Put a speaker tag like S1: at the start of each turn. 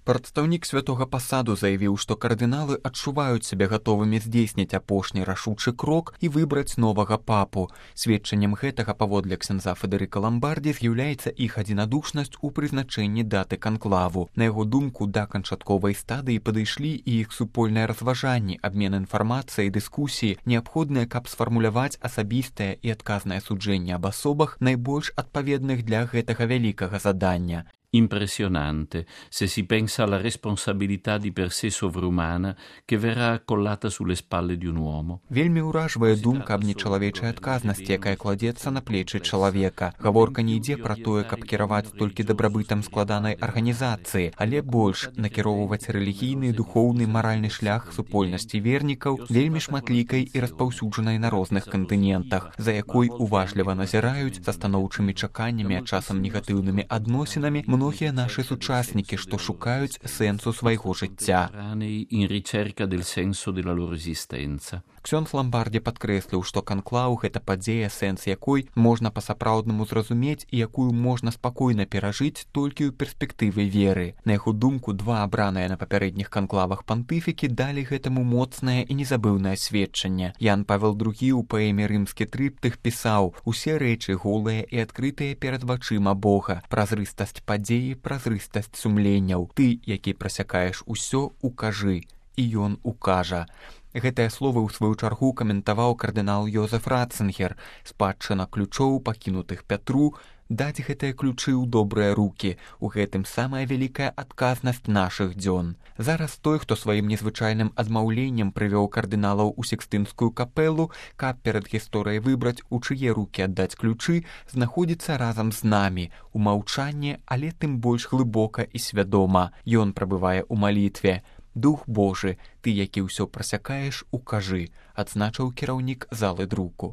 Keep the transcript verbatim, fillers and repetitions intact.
S1: Прадстаўнік святога пасаду заявіў, што кардыналы адчуваюць сябе гатовымі здзейсніць апошні рашучы крок і выбраць новага папу. Сведчаннем гэтага, паводле ксяндза Федэрыка Ламбардзі, з'яўляецца іх адзінадушнасць у прызначэнні даты канклаву. На яго думку, да канчатковай стадыі падышлі і іх супольныя разважанні, абмен інфармацыяй, дыскусіі, неабходныя, каб сфармуляваць асабістае і адказнае суджэнне аб асобах, найбольш адпаведных для гэтага вялікага задання.
S2: Impressionante se si pensa alla responsabilità di per sé sovrumana che verrà accollata sulle spalle di un uomo.
S1: Вельмі ўражвае думка аб нечалавечай адказнасці, якая кладзецца на плечы чалавека. Гаворка не ідзе пра тое, каб кіраваць толькі дабрабытам складанай арганізацыі, але больш накіроўваць рэлігійны, духоўны, маральны шлях супольнасці вернікаў, вельмі шматлікай і распаўсюджанай на розных кантынентах, за якой уважліва назіраюць са станоўчымі чаканнямі, а часам негатыўнымі адносінамі, многія нашы сучаснікі, што шукаюць сэнсу свайго жыцця. Ксёндз Ламбардзі падкрэсліў, што канклаў — гэта падзея, сэнс якой можна па-сапраўднаму зразумець і якую можна спакойна перажыць толькі ў перспектыве веры. На яго думку, два абраныя на папярэдніх канклавах пантыфікі далі гэтаму моцнае і незабыўнае сведчанне. Ян Павел другі ў паэме «Рымскі трыптых» пісаў: «Усе рэчы голыя і адкрытыя перад вачыма Бога. Празрыстасць падзеі, празрыстасць сумленняў. Ты, які прасякаеш усё, укажы». І ён укажа. Гэтыя словы ў сваю чаргу каментаваў кардынал Йозеф Ратцынгер. Спадчына ключоў, пакінутых Пятру, даць гэтыя ключы ў добрыя рукі. У гэтым самая вялікая адказнасць нашых дзён. Зараз той, хто сваім незвычайным адмаўленнем прывёў кардыналаў у Сікстынскую капелу, каб перад гісторыяй выбраць, у чые рукі аддаць ключы, знаходзіцца разам з намі, у маўчанні, але тым больш глыбока і свядома. Ён прабывае ў малітве. «Дух Божы, ты, які ўсё прасякаеш, укажы», адзначыў кіраўнік залы друку.